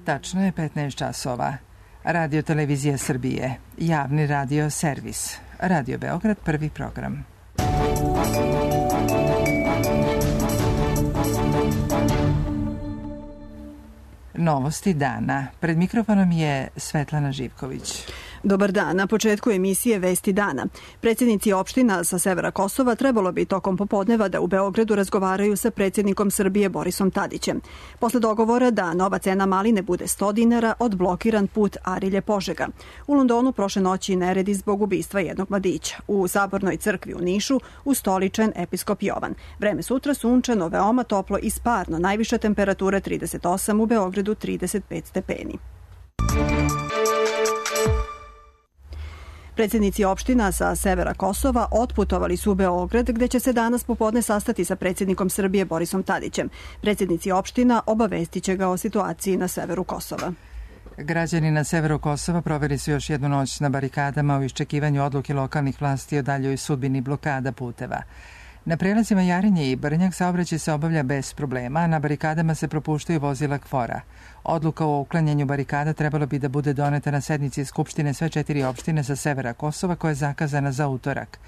Tačno je 15 časova. Radio Televizija Srbije, javni radio servis. Radio Beograd, prvi program. Novosti dana. Pred mikrofonom je Svetlana Živković. Dobar dan. Na početku emisije Vesti dana. Predsjednici opština sa severa Kosova trebalo bi tokom popodneva da u Beogradu razgovaraju sa predsjednikom Srbije Borisom Tadićem. Posle dogovora da nova cena maline bude 100 dinara, odblokiran put Arilje-Požega. U Londonu prošle noći neredi zbog ubistva jednog mladića. U Sabornoj crkvi u Nišu ustoličen episkop Jovan. Vreme sutra sunčano, veoma toplo i sparno. Najviša temperatura 38, u Beogradu 35 stepeni. Predsjednici opština sa severa Kosova otputovali su u Beograd, gde će se danas popodne sastati sa predsjednikom Srbije Borisom Tadićem. Predsjednici opština obavestiće ga o situaciji na severu Kosova. Građani na severu Kosova proveli su još jednu noć na barikadama u iščekivanju odluke lokalnih vlasti o daljoj sudbini blokada puteva. Na prelazima Jarinje i Brnjak saobraćaj se obavlja bez problema, a na barikadama se propuštaju vozila KFOR-a. Odluka o uklanjanju barikada trebalo bi da bude doneta na sednici Skupštine sve 4 opštine sa severa Kosova, koja je zakazana za utorak.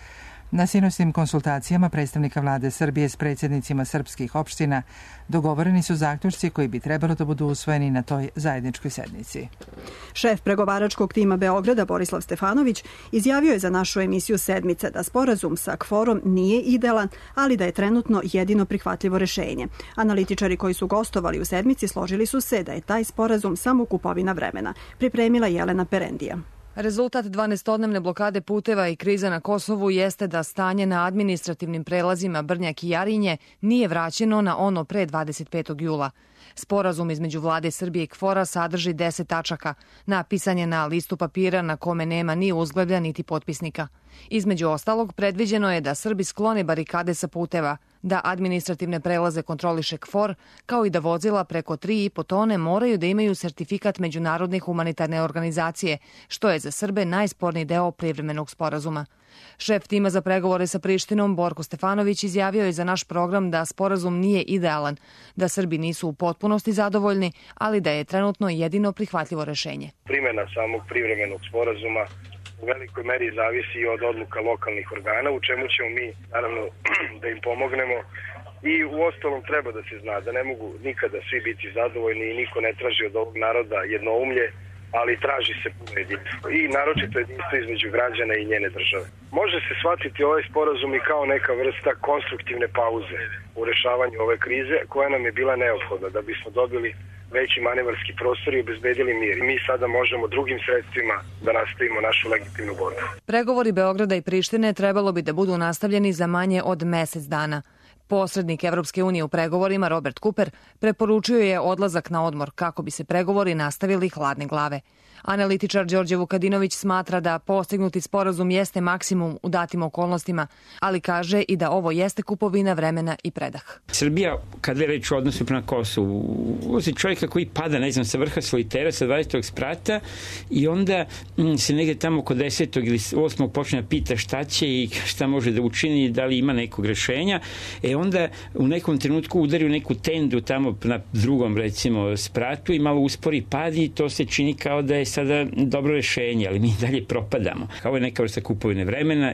Na sinoćnim konsultacijama predstavnika vlade Srbije s predsjednicima srpskih opština dogovoreni su zaključci koji bi trebalo da budu usvojeni na toj zajedničkoj sednici. Šef pregovaračkog tima Beograda Borislav Stefanović izjavio je za našu emisiju Sedmica da sporazum sa KFOR-om nije idealan, ali da je trenutno jedino prihvatljivo rešenje. Analitičari koji su gostovali u Sedmici složili su se da je taj sporazum samo kupovina vremena. Pripremila Jelena Perendija. Rezultat 12-dnevne blokade puteva i kriza na Kosovu jeste da stanje na administrativnim prelazima Brnjak i Jarinje nije vraćeno na ono pre 25. jula. Sporazum između vlade Srbije i KFOR-a sadrži 10 tačaka. Napisan je na listu papira na kome nema ni uzglavlja niti potpisnika. Između ostalog, predviđeno je da Srbi sklone barikade sa puteva, da administrativne prelaze kontroliše KFOR, kao i da vozila preko 3,5 tone moraju da imaju sertifikat Međunarodne humanitarne organizacije, što je za Srbe najsporniji deo privremenog sporazuma. Šef tima za pregovore sa Prištinom, Borko Stefanović, izjavio je za naš program da sporazum nije idealan, da Srbi nisu u potpunosti zadovoljni, ali da je trenutno jedino prihvatljivo rešenje. Primjena samog privremenog sporazuma u velikoj meri zavisi od odluka lokalnih organa, u čemu ćemo mi, naravno, da im pomognemo. I u ostalom treba da se zna da ne mogu nikada svi biti zadovoljni i niko ne traži od ovog naroda jednoumlje, ali traži se puno jedinstvo. I naročito jedinstvo između građana i njene države. Može se shvatiti ovaj sporazum i kao neka vrsta konstruktivne pauze u rešavanju ove krize, koja nam je bila neophodna da bismo dobili veći manevarski prostor i obezbedili mir. Mi sada možemo drugim sredstvima da nastavimo našu legitimnu borbu. Pregovori Beograda i Prištine trebalo bi da budu nastavljeni za manje od mesec dana. Posrednik Evropske unije u pregovorima Robert Cooper preporučio je odlazak na odmor kako bi se pregovori nastavili hladne glave. Analitičar Đorđe Vukadinović smatra da postignuti sporazum jeste maksimum u datim okolnostima, ali kaže i da ovo jeste kupovina vremena i predah. Srbija, kad je reč o odnosu prema Kosovu, uvozi čovjeka koji pada, ne znam, sa vrha solitera, sa 20. sprata i onda se negde tamo oko 10. ili 8. počne da pita šta će i šta može da učini i da li ima nekog rešenja. Onda u nekom trenutku udari u neku tendu tamo na drugom, recimo, spratu i malo uspori pad i to se čini kao da je sada dobro rešenje, ali mi dalje propadamo. Kao je neka vrsta kupovine vremena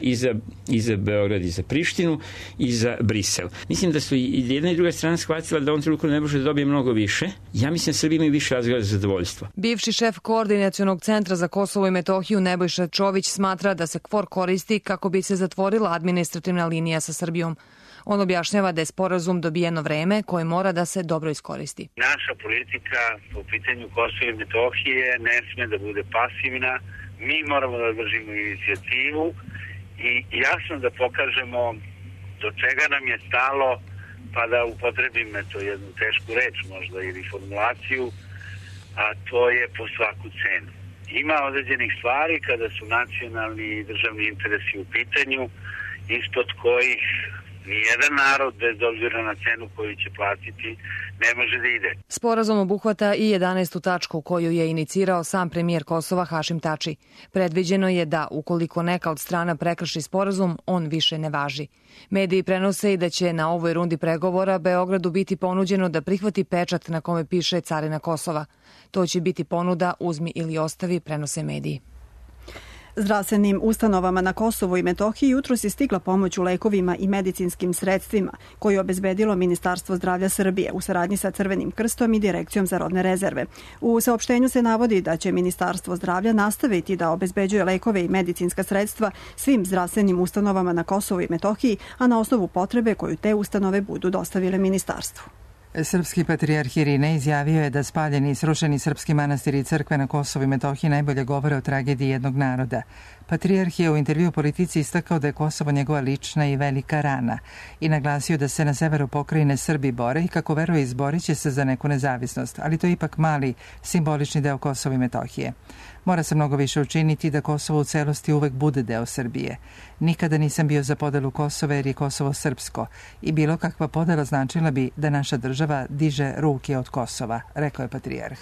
i za Beograd, i za Prištinu, i za Brisel. Mislim da su i jedna i druga strana shvatila da on trenutku ne može da dobije mnogo više. Ja mislim da Srbija ima više razloga za zadovoljstvo. Bivši šef Koordinacionog centra za Kosovo i Metohiju Nebojša Čović smatra da se KFOR koristi kako bi se zatvorila administrativna linija sa Srbijom. On objašnjava da je sporazum dobijeno vreme koje mora da se dobro iskoristi. Naša politika po pitanju Kosova i Metohije ne sme da bude pasivna. Mi moramo da držimo inicijativu i jasno da pokažemo do čega nam je stalo, pa da upotrebim jednu tešku reč možda ili formulaciju, a to je po svaku cenu. Ima određenih stvari kada su nacionalni i državni interesi u pitanju, ispod kojih Nijedan narod, bez obzira na cenu koju će platiti, ne može da ide. Sporazum obuhvata i 11. tačku koju je inicirao sam premijer Kosova Hašim Tači. Predviđeno je da, ukoliko neka od strana prekrši sporazum, on više ne važi. Mediji prenose i da će na ovoj rundi pregovora Beogradu biti ponuđeno da prihvati pečat na kome piše carina Kosova. To će biti ponuda uzmi ili ostavi, prenose mediji. Zdravstvenim ustanovama na Kosovu i Metohiji jutros je stigla pomoć u lekovima i medicinskim sredstvima koju je obezbedilo Ministarstvo zdravlja Srbije u saradnji sa Crvenim krstom i Direkcijom za robne rezerve. U saopštenju se navodi da će Ministarstvo zdravlja nastaviti da obezbeđuje lekove i medicinska sredstva svim zdravstvenim ustanovama na Kosovu i Metohiji, a na osnovu potrebe koju te ustanove budu dostavile ministarstvu. Srpski patrijarh Irinej izjavio je da spaljeni i srušeni srpski manastiri i crkve na Kosovu i Metohiji najbolje govore o tragediji jednog naroda. Patrijarh je u intervju Politici istakao da je Kosovo njegova lična i velika rana i naglasio da se na severu pokrajine Srbi bore i kako veruje izborit će se za neku nezavisnost, ali to je ipak mali simbolični deo Kosova i Metohije. Mora se mnogo više učiniti da Kosovo u celosti uvek bude deo Srbije. Nikada nisam bio za podelu Kosova jer je Kosovo srpsko i bilo kakva podela značila bi da naša država diže ruke od Kosova, rekao je patrijarh.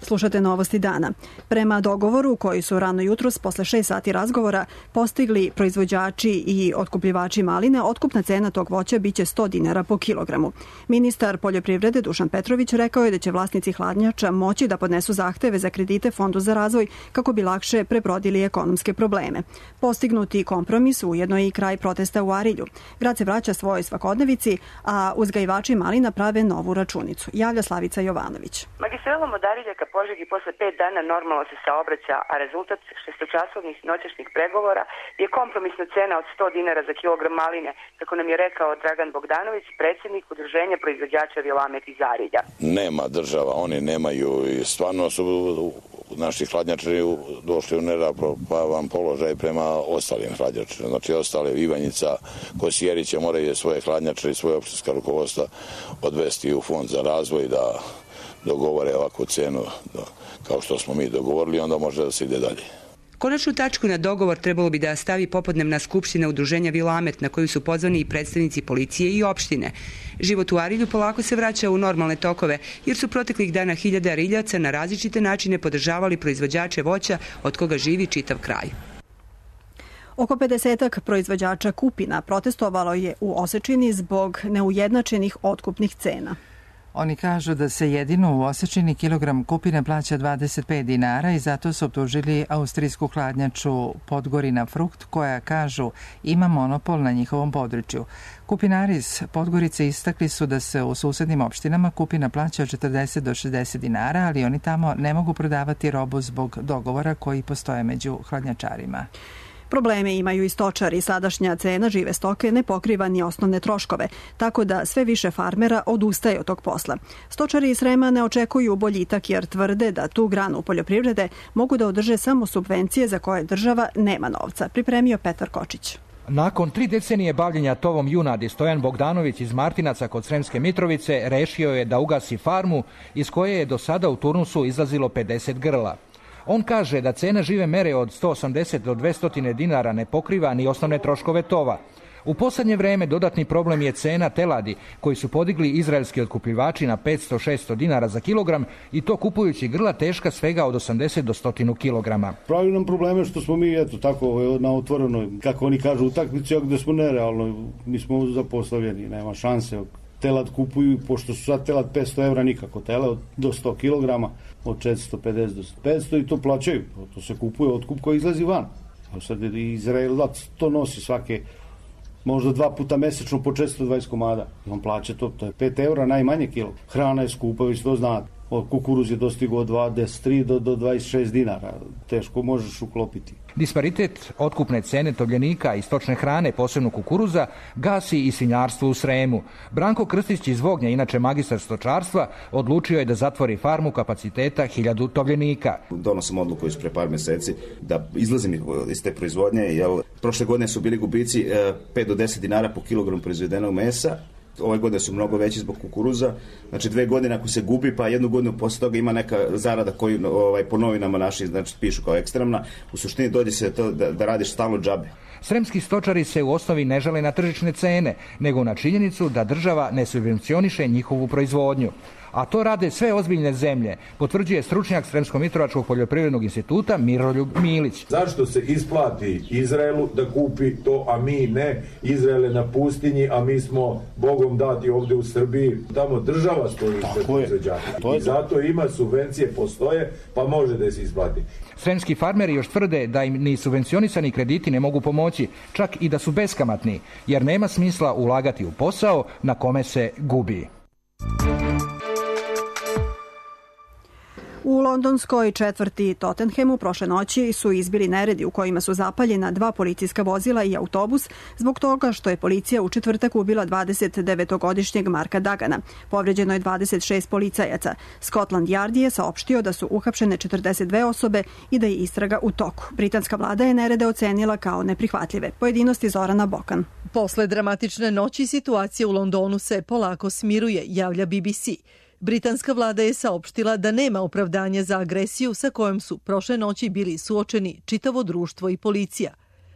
Slušate novosti dana. Prema dogovoru koji su rano jutros posle 6 sati razgovora postigli proizvođači i otkupljivači maline, otkupna cena tog voća biće 100 dinara po kilogramu. Ministar poljoprivrede Dušan Petrović rekao je da će vlasnici hladnjača moći da podnesu zahteve za kredite Fondu za razvoj kako bi lakše prebrodili ekonomske probleme. Postignuti kompromis ujedno je i kraj protesta u Arilju. Grad se vraća svojoj svakodnevici, a uzgajivači malina prave novu računicu. Javlja Slavica Jovanović. Magistralom od Arilja ka Požegi posle 5 dana normalno se saobraća, a rezultat šestočasovnih noćašnjih pregovora je kompromisna cena od 100 dinara za kilogram maline, kako nam je rekao Dragan Bogdanović, predsjednik Udruženja proizvođača Vilamet iz Arilja. Nema država, oni nemaju i stvarno su naši hladnjačari došli u neravnopravan položaj prema ostalim hladnjačarima. Znači ostale Ivanjica, Kosjerića moraju svoje hladnjačare i svoje opštinska rukovodstva odvesti u Fond za razvoj da dogovore ovakvu cenu kao što smo mi dogovorili, onda može da se ide dalje. Konačnu tačku na dogovor trebalo bi da stavi popodnevna skupština Udruženja Vilamet na koju su pozvani i predstavnici policije i opštine. Život u Arilju polako se vraća u normalne tokove jer su proteklih dana hiljade Ariljaca na različite načine podržavali proizvođače voća od koga živi čitav kraj. Oko 50 proizvođača kupina protestovalo je u Osečini zbog neujednačenih otkupnih cena. Oni kažu da se jedino u Osečini kilogram kupine plaća 25 dinara i zato su optužili austrijsku hladnjaču Podgorina Frukt koja, kažu, ima monopol na njihovom području. Kupinari iz Podgorice istakli su da se u susednim opštinama kupina plaća od 40 do 60 dinara, ali oni tamo ne mogu prodavati robu zbog dogovora koji postoje među hladnjačarima. Probleme imaju i stočari. Sadašnja cena žive stoke ne pokriva ni osnovne troškove, tako da sve više farmera odustaje od tog posla. Stočari iz Srema ne očekuju boljitak jer tvrde da tu granu poljoprivrede mogu da održe samo subvencije za koje država nema novca. Pripremio Petar Kočić. Nakon 3 decenije bavljenja tovom junadi, Stojan Bogdanović iz Martinaca kod Sremske Mitrovice rešio je da ugasi farmu iz koje je do sada u turnusu izlazilo 50 grla. On kaže da cena žive mere od 180 do 200 dinara ne pokriva ni osnovne troškove tova. U poslednje vreme dodatni problem je cena teladi, koji su podigli izraelski otkupljivači na 500-600 dinara za kilogram i to kupujući grla teška svega od 80 do 100 kilograma. Pravi nam probleme što smo mi, eto, tako na otvorenoj, kako oni kažu, utakmici gde smo nerealno, mi smo zapostavljeni, nema šanse. Telad kupuju, pošto su sad telad 500 evra nikako, telad do 100 kilograma, od 450 do 500 i to plaćaju, to se kupuje otkup koji izlazi van. Sad Izraelac to nosi svake, možda 2 puta mesečno po 420 komada. I on plaća to je 5 evra najmanje kilo. Hrana je skupa, vi to znate. Kukuruz je dostigao od 23 do 26 dinara. Teško možeš uklopiti. Disparitet otkupne cene tovljenika i stočne hrane, posebno kukuruza, gasi i svinjarstvo u Sremu. Branko Krstić iz Vognja, inače magistar stočarstva, odlučio je da zatvori farmu kapaciteta 1000 tovljenika. Donosim odluku iz pre par meseci da izlazim iz te proizvodnje, jer prošle godine su bili gubici 5 do 10 dinara po kilogramu proizvedenog mesa. Ove godine su mnogo veći zbog kukuruza. Znači 2 godine ako se gubi, pa 1 godinu posle toga ima neka zarada koju po novinama naši pišu kao ekstremna. U suštini dođe se to da radiš stalno džabe. Sremski stočari se u osnovi ne žale na tržišne cene, nego na činjenicu da država ne subvencioniše njihovu proizvodnju. A to rade sve ozbiljne zemlje, potvrđuje stručnjak Sremsko-Mitrovačkog poljoprivrednog instituta Miroljub Milić. Zašto se isplati Izraelu da kupi to, a mi ne? Izrael je na pustinji, a mi smo Bogom dati ovde u Srbiji. Tamo država stoji sve proizvođačima. I zato ima subvencije, postoje, pa može da se isplati. Sremski farmeri još tvrde da im ni subvencionisani krediti ne mogu pomoći, čak i da su beskamatni, jer nema smisla ulagati u posao na kome se gubi. U londonskoj četvrti Tottenhamu prošle noći su izbili neredi u kojima su zapaljena 2 policijska vozila i autobus zbog toga što je policija u četvrtak ubila 29-godišnjeg Marka Dagana. Povređeno je 26 policajaca. Scotland Yard je saopštio da su uhapšene 42 osobe i da je istraga u toku. Britanska vlada je nerede ocenila kao neprihvatljive. Pojedinosti Zorana Bokan. Posle dramatične noći situacija u Londonu se polako smiruje, javlja BBC. Britanska vlada je saopštila da nema opravdanja za agresiju sa kojom su prošle noći bili suočeni čitavo društvo i policija.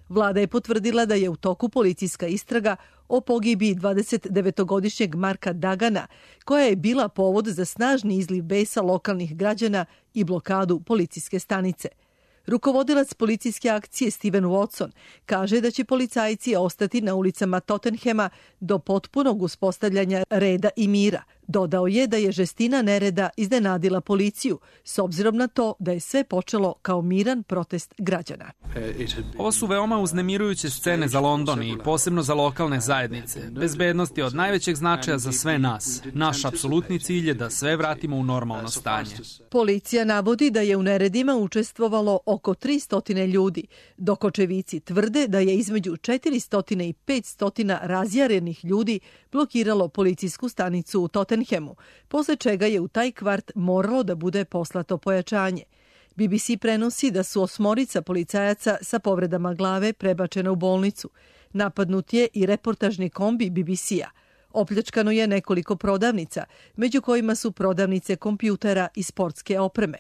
Vlada je potvrdila da je u toku policijska istraga o pogibiji 29-godišnjeg Marka Dagana, koja je bila povod za snažni izliv besa lokalnih građana i blokadu policijske stanice. Rukovodilac policijske akcije Steven Watson kaže da će policajci ostati na ulicama Tottenhama do potpunog uspostavljanja reda i mira. Dodao je da je žestina nereda iznenadila policiju, s obzirom na to da je sve počelo kao miran protest građana. Ovo su veoma uznemirujuće scene za London i posebno za lokalne zajednice. Bezbednost je od najvećeg značaja za sve nas. Naš apsolutni cilj je da sve vratimo u normalno stanje. Policija navodi da je u neredima učestvovalo oko 300 ljudi, dok očevici tvrde da je između 400 i 500 razjarenih ljudi blokiralo policijsku stanicu u Tottenhamu, posle čega je u taj kvart moralo da bude poslato pojačanje. BBC prenosi da su 8 policajaca sa povredama glave prebačena u bolnicu. Napadnut je i reportažni kombi BBC-a. Opljačkano je nekoliko prodavnica, među kojima su prodavnice kompjutera i sportske opreme.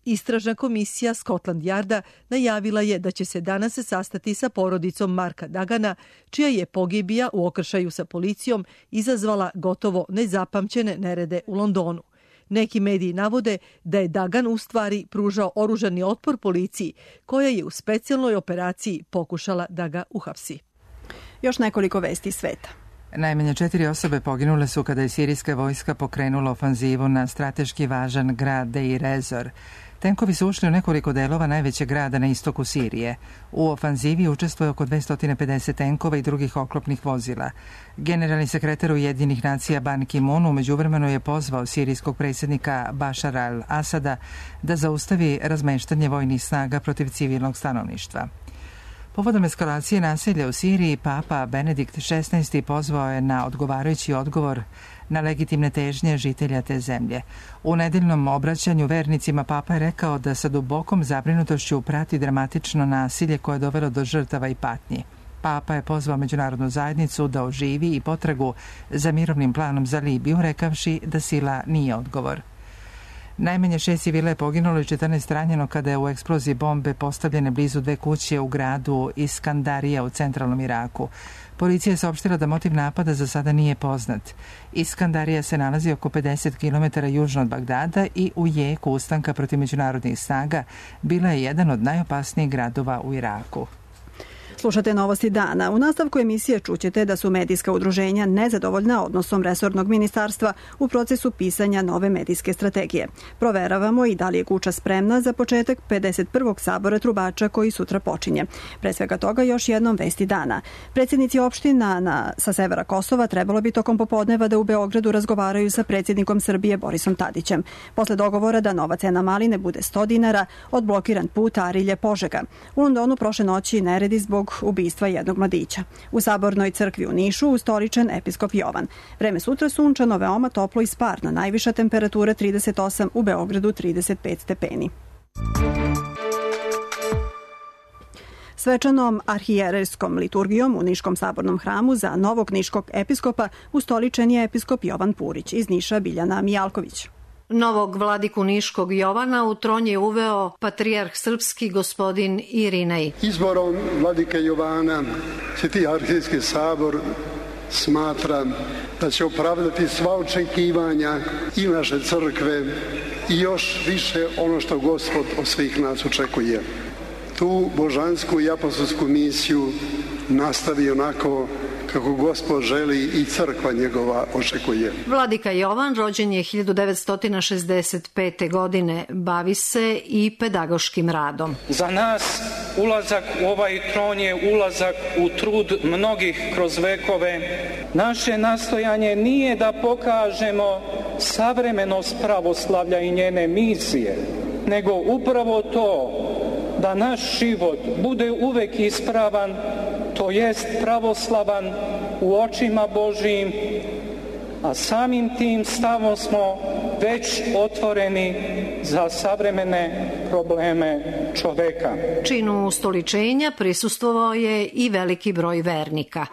Istražna komisija Scotland Yarda najavila je da će se danas sastati sa porodicom Marka Dagana, čija je pogibija u okršaju sa policijom izazvala gotovo nezapamćene nerede u Londonu. Neki mediji navode da je Dagan u stvari pružao oružani otpor policiji, koja je u specijalnoj operaciji pokušala da ga uhapsi. Još nekoliko vesti sveta. Najmanje 4 osobe poginule su kada je sirijska vojska pokrenula ofanzivu na strateški važan grad Deir ez-Zor. Tenkovi su ušli u nekoliko delova najvećeg grada na istoku Sirije. U ofanzivi učestvuje oko 250 tenkova i drugih oklopnih vozila. Generalni sekretar Ujedinjenih nacija Ban Ki-moon u međuvremenu je pozvao sirijskog predsjednika Bašara al-Asada da zaustavi razmeštanje vojnih snaga protiv civilnog stanovništva. Povodom eskalacije nasilja u Siriji, Papa Benedikt XVI pozvao je na odgovarajući odgovor na legitimne težnje žitelja te zemlje. U nedeljnom obraćanju vernicima Papa je rekao da sa dubokom zabrinutošću prati dramatično nasilje koje je dovelo do žrtava i patnji. Papa je pozvao međunarodnu zajednicu da oživi i potragu za mirovnim planom za Libiju, rekavši da sila nije odgovor. Najmanje 6 civila je poginulo i 14 ranjeno kada je u eksploziji bombe postavljene blizu 2 kuće u gradu Iskandarija u centralnom Iraku. Policija je saopštila da motiv napada za sada nije poznat. Iskandarija se nalazi oko 50 km južno od Bagdada i u jeku ustanka protiv međunarodnih snaga bila je jedan od najopasnijih gradova u Iraku. Slušate Novosti dana. U nastavku emisije čućete da su medijska udruženja nezadovoljna odnosom resornog ministarstva u procesu pisanja nove medijske strategije. Proveravamo i da li je kuća spremna za početak 51. sabora trubača koji sutra počinje. Pre svega toga još jednom vesti dana. Predsjednici opština sa severa Kosova trebalo bi tokom popodneva da u Beogradu razgovaraju sa predsjednikom Srbije Borisom Tadićem. Posle dogovora da nova cena maline bude 100 dinara, odblokiran put Arilje-Požega. U Londonu prošle noći neredi zbog ubistva jednog mladića. U Sabornoj crkvi u Nišu ustoličen episkop Jovan. Vreme sutra sunčano, veoma toplo i sparno. Najviša temperatura 38, u Beogradu 35 stepeni. Svečanom arhijerejskom liturgijom u Niškom sabornom hramu za novog niškog episkopa ustoličen je episkop Jovan Purić. Iz Niša Biljana Mijalković. Novog vladiku Niškog Jovana u tron je uveo patrijarh srpski gospodin Irinej. Izborom vladike Jovana Sveti arhijski sabor smatra da će opravdati sva očekivanja i naše crkve i još više ono što Gospod od svih nas očekuje. Tu božansku i apostolsku misiju nastavi onako kako Gospod želi i crkva njegova očekuje. Vladika Jovan rođen je 1965. godine. Bavi se i pedagoškim radom. Za nas ulazak u ovaj tron je ulazak u trud mnogih kroz vekove. Naše nastojanje nije da pokažemo savremenost pravoslavlja i njene misije, nego upravo to da naš život bude uvek ispravan, to jest pravoslavan u očima Božijim, a samim tim stavom smo već otvoreni za savremene probleme čoveka. Činu ustoličenja prisustvovao je i veliki broj vernika.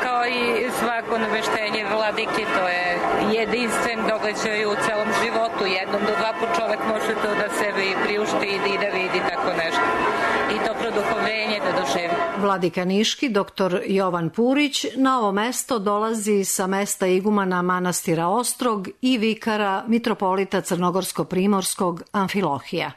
Kao i svako naveštenje vladike, to je jedinstven događaj u celom životu. Jednom do dva put čovek može to da sebi priušti i da vidi tako nešto. I to produhovljenje da doživi. Vladika Niški, dr. Jovan Purić, na ovo mesto dolazi sa mesta igumana manastira Ostrog i vikara mitropolita Crnogorsko-Primorskog Amfilohija.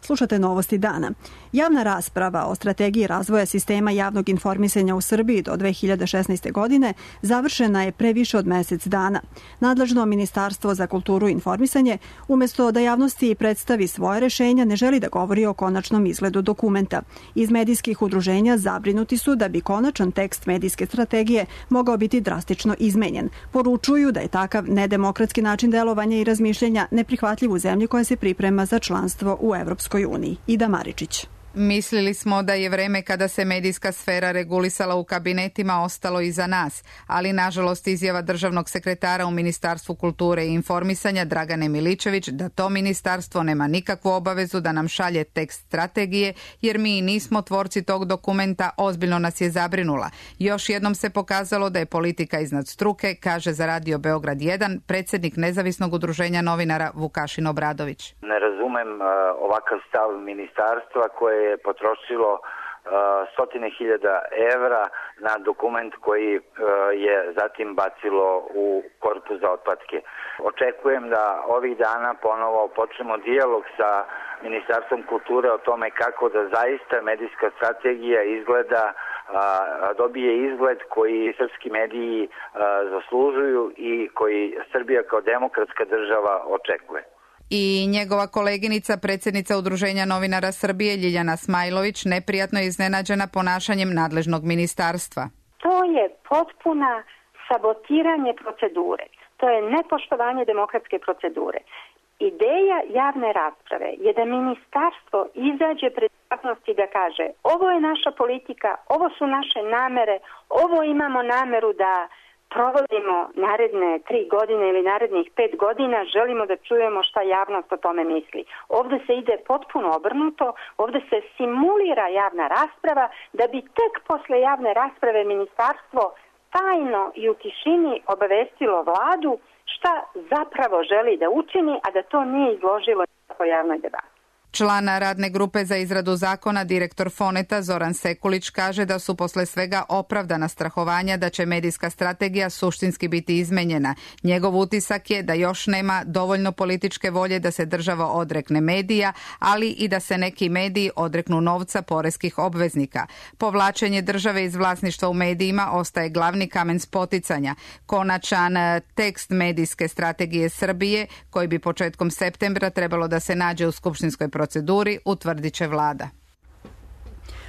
Slušate Novosti dana. Javna rasprava o strategiji razvoja sistema javnog informisanja u Srbiji do 2016. godine završena je pre više od mesec dana. Nadležno Ministarstvo za kulturu i informisanje, umesto da javnosti predstavi svoje rešenja, ne želi da govori o konačnom izgledu dokumenta. Iz medijskih udruženja zabrinuti su da bi konačan tekst medijske strategije mogao biti drastično izmenjen. Poručuju da je takav nedemokratski način delovanja i razmišljanja neprihvatljiv u zemlji koja se priprema za članstvo u Evropskoj uniji. Ida Maričić. Mislili smo da je vreme kada se medijska sfera regulisala u kabinetima ostalo iza nas, ali nažalost izjava državnog sekretara u Ministarstvu kulture i informisanja Dragane Miličević da to ministarstvo nema nikakvu obavezu da nam šalje tekst strategije, jer mi nismo tvorci tog dokumenta, ozbiljno nas je zabrinula. Još jednom se pokazalo da je politika iznad struke, kaže za Radio Beograd 1 predsjednik nezavisnog udruženja novinara Vukašin Obradović. Ne razumem ovakav stav ministarstva koje je potrošilo stotine hiljada evra na dokument koji je zatim bacilo u korpu za otpadke. Očekujem da ovih dana ponovo počnemo dijalog sa Ministarstvom kulture o tome kako da zaista medijska strategija izgleda, dobije izgled koji srpski mediji zaslužuju i koji Srbija kao demokratska država očekuje. I njegova koleginica, predsjednica Udruženja novinara Srbije Ljiljana Smajlović, neprijatno je iznenađena ponašanjem nadležnog ministarstva. To je potpuna sabotiranje procedure. To je nepoštovanje demokratske procedure. Ideja javne rasprave je da ministarstvo izađe pred javnost i da kaže ovo je naša politika, ovo su naše namere, ovo imamo nameru da provodimo naredne 3 godine ili narednih 5 godina, želimo da čujemo šta javnost o tome misli. Ovdje se ide potpuno obrnuto, ovdje se simulira javna rasprava da bi tek posle javne rasprave ministarstvo tajno i u tišini obavestilo vladu šta zapravo želi da učini, a da to nije izložilo po javnoj debati. Član radne grupe za izradu zakona, direktor Foneta Zoran Sekulić, kaže da su posle svega opravdana strahovanja da će medijska strategija suštinski biti izmenjena. Njegov utisak je da još nema dovoljno političke volje da se država odrekne medija, ali i da se neki mediji odreknu novca poreskih obveznika. Povlačenje države iz vlasništva u medijima ostaje glavni kamen spoticanja. Konačan tekst medijske strategije Srbije, koji bi početkom septembra trebalo da se nađe u skupštinskoj proceduri, utvrdit će vlada.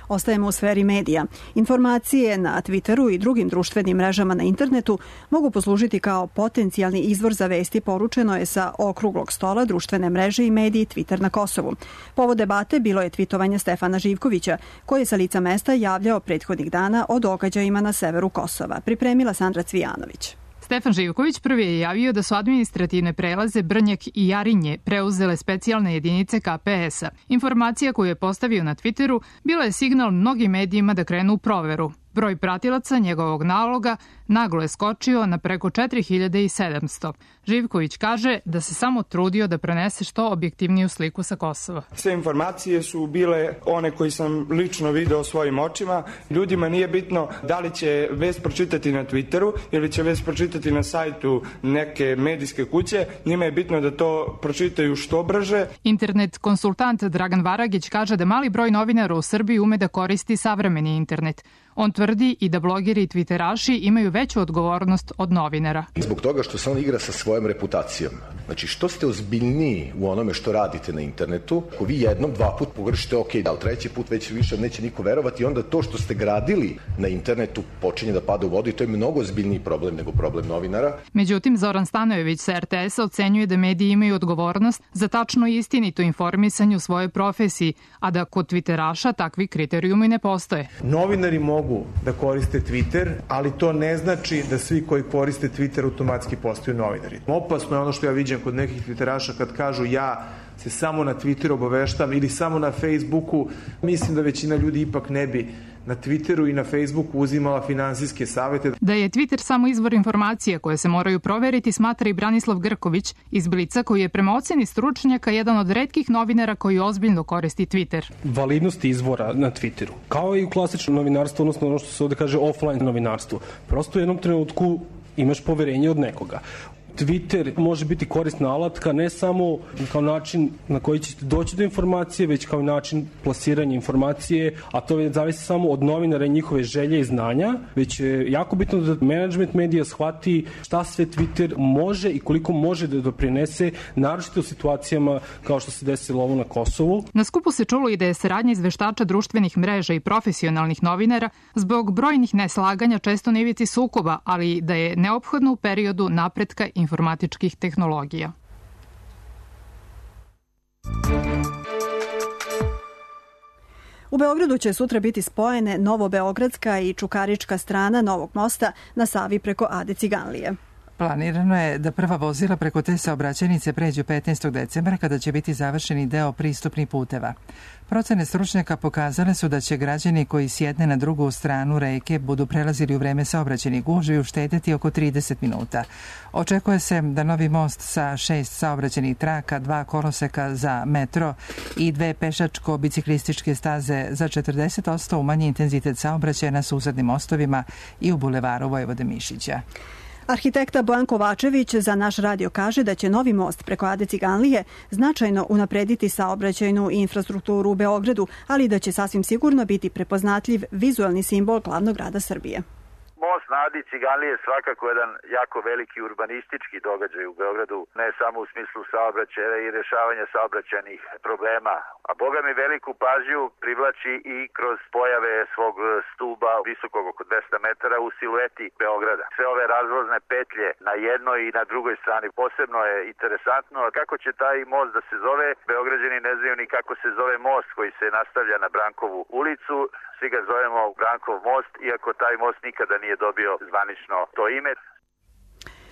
Ostajemo u sferi medija. Informacije na Twitteru i drugim društvenim mrežama na internetu mogu poslužiti kao potencijalni izvor za vesti, poručeno je sa okruglog stola društvene mreže i mediji Twitter na Kosovu. Povod debate bilo je tvitovanje Stefana Živkovića, koji je sa lica mesta javljao prethodnih dana o događajima na severu Kosova. Pripremila Sandra Cvijanović. Stefan Živković prvi je javio da su administrativne prelaze Brnjak i Jarinje preuzele specijalne jedinice KPS-a. Informacija koju je postavio na Twitteru bila je signal mnogim medijima da krenu u proveru. Broj pratilaca njegovog naloga naglo je skočio na preko 4700. Živković kaže da se samo trudio da prenese što objektivniju sliku sa Kosova. Sve informacije su bile one koje sam lično video svojim očima. Ljudima nije bitno da li će vest pročitati na Twitteru ili će vest pročitati na sajtu neke medijske kuće. Njima je bitno da to pročitaju što brže. Internet konsultant Dragan Varagić kaže da mali broj novinara u Srbiji ume da koristi savremeni internet. On tvrdi i da blogeri i twitteraši imaju veću odgovornost od novinara. Zbog toga što se on igra sa svojom reputacijom. Znači, što ste ozbiljniji u onome što radite na internetu, ako vi jednom, dva put pogrešite, ok, ali treći put već više neće niko verovati i onda to što ste gradili na internetu počinje da pada u vodu i to je mnogo ozbiljniji problem nego problem novinara. Međutim, Zoran Stanojević sa RTS-a ocenjuje da mediji imaju odgovornost za tačno i istinito informisanje u svojoj profesiji, a da kod twitteraša takvi kriterijumi ne postoje. Novinari mogu da koriste Twitter, ali to ne znači da svi koji koriste Twitter automatski postaju novinari. Opasno je ono što ja viđam kod nekih twitteraša kad kažu ja se samo na Twitteru obaveštam ili samo na Facebooku. Mislim da većina ljudi ipak ne bi na Twitteru i na Facebooku uzimala finansijske savete. Da je Twitter samo izvor informacija koje se moraju proveriti, smatra i Branislav Grković iz Blica, koji je prema oceni stručnjaka jedan od retkih novinara koji ozbiljno koristi Twitter. Validnost izvora na Twitteru, kao i u klasičnom novinarstvu, odnosno ono što se ovde kaže offline novinarstvu. Prosto u jednom trenutku imaš poverenje od nekoga. Twitter može biti korisna alatka ne samo kao način na koji ćete doći do informacije, već kao način plasiranja informacije, a to zavisi samo od novinara i njihove želje i znanja, već je jako bitno da management medija shvati šta sve Twitter može i koliko može da doprinese, naročito u situacijama kao što se desilo ovo na Kosovu. Na skupu se čulo i da je saradnja izveštača društvenih mreža i profesionalnih novinara zbog brojnih neslaganja često na ivici sukoba, ali da je neophodno u periodu napretka informatičkih tehnologija. U Beogradu će sutra biti spojene Novobeogradska i Čukarička strana novog mosta na Savi preko Ade Ciganlije. Planirano je da prva vozila preko te saobraćajnice pređu 15. decembra kada će biti završeni deo pristupnih puteva. Procene stručnjaka pokazale su da će građani koji sjedne na drugu stranu reke budu prelazili u vreme saobraćajnih gužvi uštedeti oko 30 minuta. Očekuje se da novi most sa 6 saobraćajnih traka, 2 koloseka za metro i 2 pešačko-biciklističke staze za 40% umanji intenzitet saobraćaja na susednim mostovima i u bulevaru Vojvode Mišića. Arhitekta Bojan Kovačević za naš radio kaže da će novi most preko Ade Ciganlije značajno unaprediti saobraćajnu infrastrukturu u Beogradu, ali da će sasvim sigurno biti prepoznatljiv vizuelni simbol glavnog grada Srbije. Most na Adi Ciganlije je svakako jedan jako veliki urbanistički događaj u Beogradu, ne samo u smislu saobraćaja i rješavanja saobraćajnih problema, a boga mi veliku pažnju privlači i kroz pojave svog stuba visokog oko 200 metara u silueti Beograda. Sve ove razvozne petlje na jednoj i na drugoj strani posebno je interesantno, a kako će taj most da se zove, Beograđani ne znaju ni kako se zove most koji se nastavlja na Brankovu ulicu. Svi ga zovemo Brankov most, iako taj most nikada nije dobio zvanično to ime.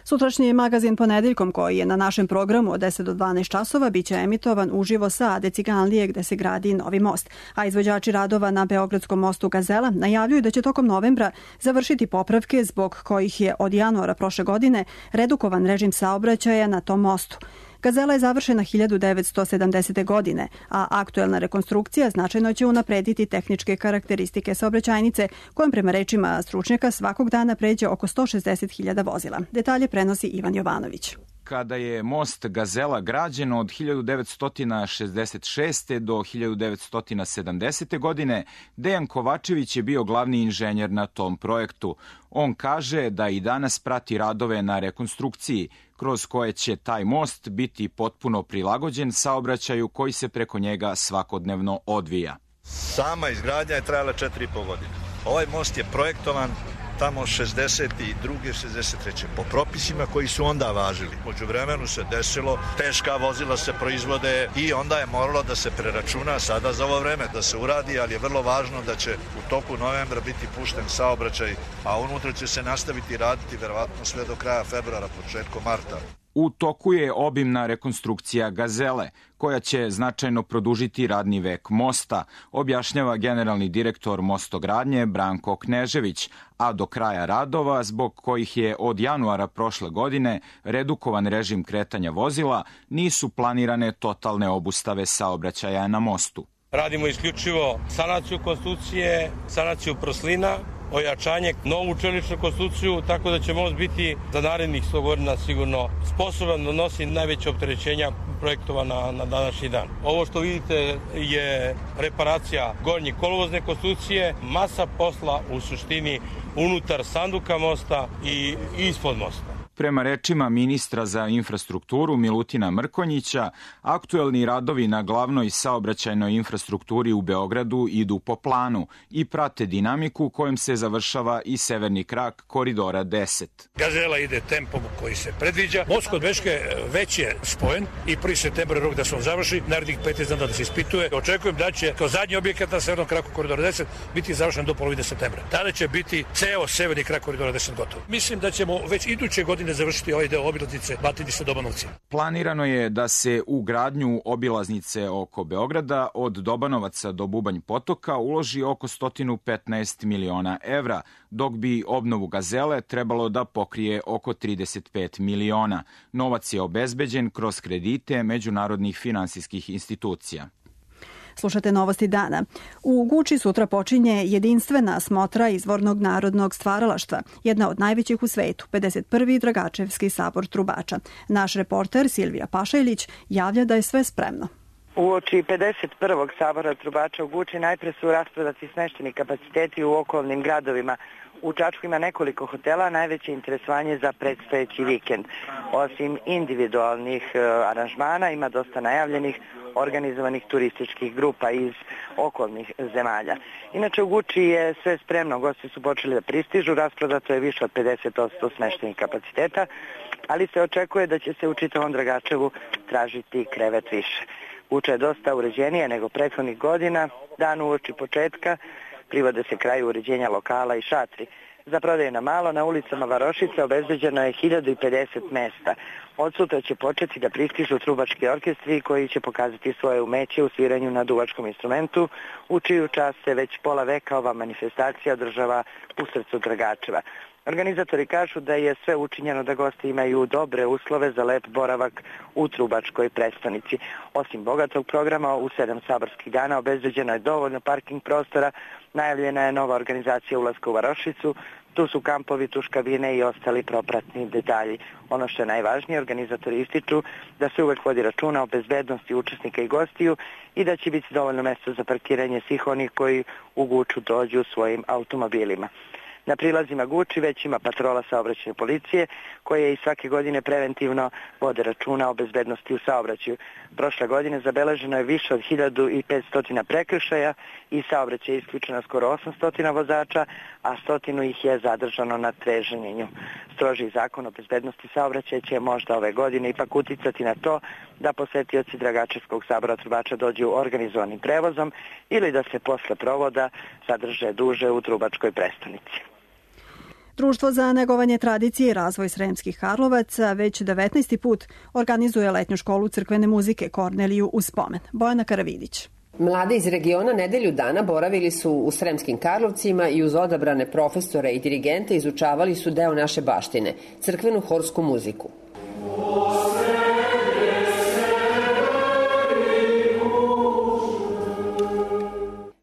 Sutrašnji magazin Ponedeljkom, koji je na našem programu od 10 do 12 časova, biće emitovan uživo sa Ade Ciganlije gde se gradi novi most. A izvođači radova na Beogradskom mostu Gazela najavljuju da će tokom novembra završiti popravke zbog kojih je od januara prošle godine redukovan režim saobraćaja na tom mostu. Gazela je završena 1970. godine, a aktuelna rekonstrukcija značajno će unaprediti tehničke karakteristike saobraćajnice, kojom prema rečima stručnjaka svakog dana pređe oko 160.000 vozila. Detalje prenosi Ivan Jovanović. Kada je most Gazela građen od 1966. do 1970. godine, Dejan Kovačević je bio glavni inženjer na tom projektu. On kaže da i danas prati radove na rekonstrukciji, kroz koje će taj most biti potpuno prilagođen saobraćaju koji se preko njega svakodnevno odvija. Sama izgradnja je trajala 4,5 godine. Ovaj most je projektovan tamo 62. 63. po propisima koji su onda važili. Među vremenu se desilo, teška vozila se proizvode i onda je moralo da se preračuna sada za ovo vreme da se uradi, ali je vrlo važno da će u toku novembra biti pušten saobraćaj, a unutra će se nastaviti raditi verovatno sve do kraja februara, početkom marta. U toku je obimna rekonstrukcija Gazele, koja će značajno produžiti radni vek mosta, objašnjava generalni direktor mostogradnje Branko Knežević, a do kraja radova, zbog kojih je od januara prošle godine redukovan režim kretanja vozila, nisu planirane totalne obustave saobraćaja na mostu. Radimo isključivo sanaciju konstrukcije, sanaciju proslina, ojačanje, novu čeličnu konstrukciju, tako da će most biti za narednih 100 godina sigurno sposoban da nosi najveće opterećenja projektovana na današnji dan. Ovo što vidite je reparacija gornje kolovozne konstrukcije, masa posla u suštini unutar sanduka mosta i ispod mosta. Prema rečima ministra za infrastrukturu Milutina Mrkonjića, aktuelni radovi na glavnoj saobraćajnoj infrastrukturi u Beogradu idu po planu i prate dinamiku kojom se završava i severni krak koridora 10. Gazela ide tempom koji se predviđa. Most kod Beške već je spojen i 1. septembar je rok da se on završi, narednih 15 dana da se ispituje. Očekujem da će kao zadnji objekat na severnom kraku koridora 10 biti završen do polovine septembra. Tada će biti ceo severni krak koridora 10 gotov. Mislim da ćemo već iduće godine završiti ovaj deo obilaznice Batinice Dobanovci. Planirano je da se u gradnju obilaznice oko Beograda od Dobanovaca do Bubanj Potoka uloži oko 115 miliona evra, dok bi obnovu Gazele trebalo da pokrije oko 35 miliona. Novac je obezbeđen kroz kredite međunarodnih finansijskih institucija. Slušate Novosti dana. U Guči sutra počinje jedinstvena smotra izvornog narodnog stvaralaštva, jedna od najvećih u svetu, 51. Dragačevski sabor trubača. Naš reporter Silvija Pašajlić javlja da je sve spremno. Uoči 51. sabora trubača u Guči najpre su rasprodati smešćeni kapaciteti u okolnim gradovima. U Čačku ima nekoliko hotela, najveće interesovanje za predstojeći vikend. Osim individualnih aranžmana ima dosta najavljenih organizovanih turističkih grupa iz okolnih zemalja. Inače u Guči je sve spremno, gosti su počeli da pristižu, rasprodato je više od 50% smeštenih kapaciteta, ali se očekuje da će se u čitavom Dragačevu tražiti krevet više. Guča je dosta uređenija nego prethodnih godina, dan uoči početka privode se kraju uređenja lokala i šatri. Za prodaju na malo na ulicama Varošice obezbeđeno je 1050 mesta. Od sutra će početi da pristižu trubački orkestri koji će pokazati svoje umeće u sviranju na duvačkom instrumentu, u čiju čast se već pola veka ova manifestacija održava u srcu Dragačeva. Organizatori kažu da je sve učinjeno da gosti imaju dobre uslove za lep boravak u trubačkoj prestonici. Osim bogatog programa, u 7 saborskih dana obezbeđeno je dovoljno parking prostora, najavljena je nova organizacija ulaska u Varošicu, tu su kampovi, tuškabine i ostali propratni detalji. Ono što je najvažnije, organizatori ističu da se uvek vodi računa o bezbednosti učesnika i gostiju i da će biti dovoljno mesta za parkiranje svih onih koji u Guču dođu svojim automobilima. Na prilazima Guči već ima patrola saobraćajne policije koje i svake godine preventivno vode računa o bezbednosti u saobraćaju. Prošle godine zabeleženo je više od 1500 prekršaja i saobraćaj je isključeno skoro 800 vozača, a 100 ih je zadržano na treženjenju. Strožiji zakon o bezbednosti saobraćaja će možda ove godine ipak uticati na to da posetioci Dragačevskog sabora trubača dođu organizovanim prevozom ili da se posle provoda zadrže duže u trubačkoj prestonici. Društvo za negovanje tradicije i razvoj Sremskih Karlovaca već 19. put organizuje letnju školu crkvene muzike Korneliju u spomen. Bojana Karavidić. Mladi iz regiona nedelju dana boravili su u Sremskim Karlovcima i uz odabrane profesore i dirigente izučavali su deo naše baštine, crkvenu horsku muziku.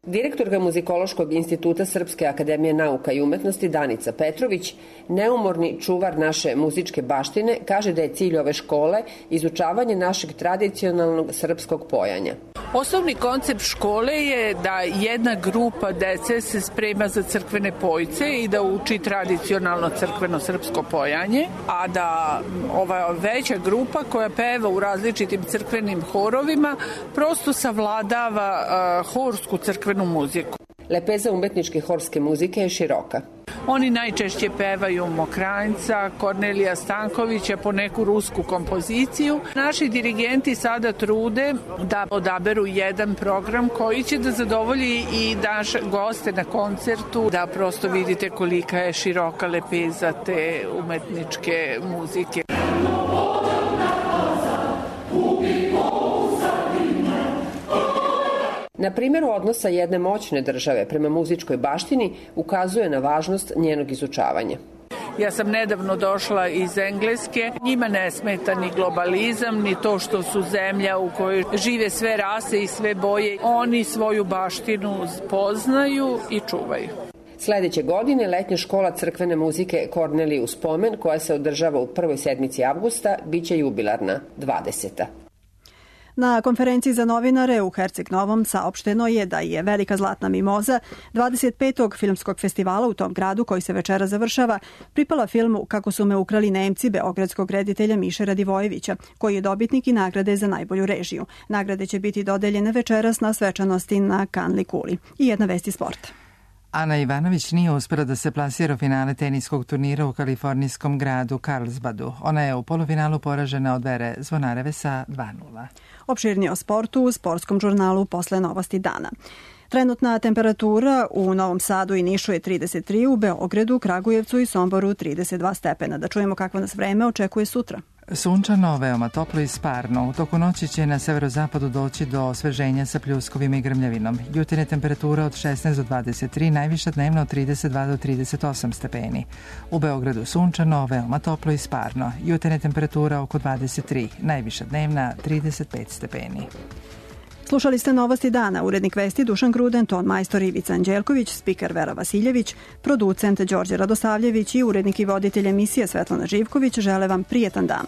Direktorka Muzikološkog instituta Srpske akademije nauka i umetnosti Danica Petrović, neumorni čuvar naše muzičke baštine, kaže da je cilj ove škole izučavanje našeg tradicionalnog srpskog pojanja. Osnovni koncept škole je da jedna grupa dece se sprema za crkvene pojce i da uči tradicionalno crkveno srpsko pojanje, a da ova veća grupa koja peva u različitim crkvenim horovima prosto savladava horsku crkvenu muziku. Lepeza umetničke horske muzike je široka. Oni najčešće pevaju Mokranjca, Kornelija Stankovića, po neku rusku kompoziciju. Naši dirigenti sada trude da odaberu jedan program koji će da zadovolji i naše goste na koncertu, da prosto vidite kolika je široka lepeza te umetničke muzike. Na primjeru odnosa jedne moćne države prema muzičkoj baštini ukazuje na važnost njenog izučavanja. Ja sam nedavno došla iz Engleske. Njima ne smeta ni globalizam, ni to što su zemlja u kojoj žive sve rase i sve boje. Oni svoju baštinu poznaju i čuvaju. Sledeće godine letnja škola crkvene muzike Korneliju Spomen, koja se održava u prvoj sedmici avgusta, biće jubilarna, 20. Na konferenciji za novinare u Herceg Novom saopšteno je da je Velika zlatna mimoza 25. filmskog festivala u tom gradu, koji se večera završava, pripala filmu Kako su me ukrali Nemci beogradskog reditelja Miše Radivojevića, koji je dobitnik i nagrade za najbolju režiju. Nagrade će biti dodeljene večeras na svečanosti na Kanli kuli. I jedna vest iz sporta. Ana Ivanović nije uspela da se plasira u finale teniskog turnira u kalifornijskom gradu Carlsbadu. Ona je u polufinalu poražena od Vere Zvonareve sa 2:0. Opširnije o sportu u sportskom žurnalu posle novosti dana. Trenutna temperatura u Novom Sadu i Nišu je 33, u Beogradu, Kragujevcu i Somboru 32 stepena. Da čujemo kakvo nas vreme očekuje sutra. Sunčano, veoma toplo i sparno. U toku noći će na severozapadu doći do osveženja sa pljuskovima i grmljavinom. Jutarnja temperatura od 16 do 23, najviša dnevna od 32 do 38 stepeni. U Beogradu sunčano, veoma toplo i sparno. Jutarnja temperatura oko 23, najviša dnevna 35 stepeni. Slušali ste novosti dana, urednik vesti Dušan Gruden, ton majstor Ivica Anđelković, spiker Vera Vasiljević, producent Đorđe Radosavljević i urednik i voditelj emisije Svetlana Živković žele vam prijetan dan.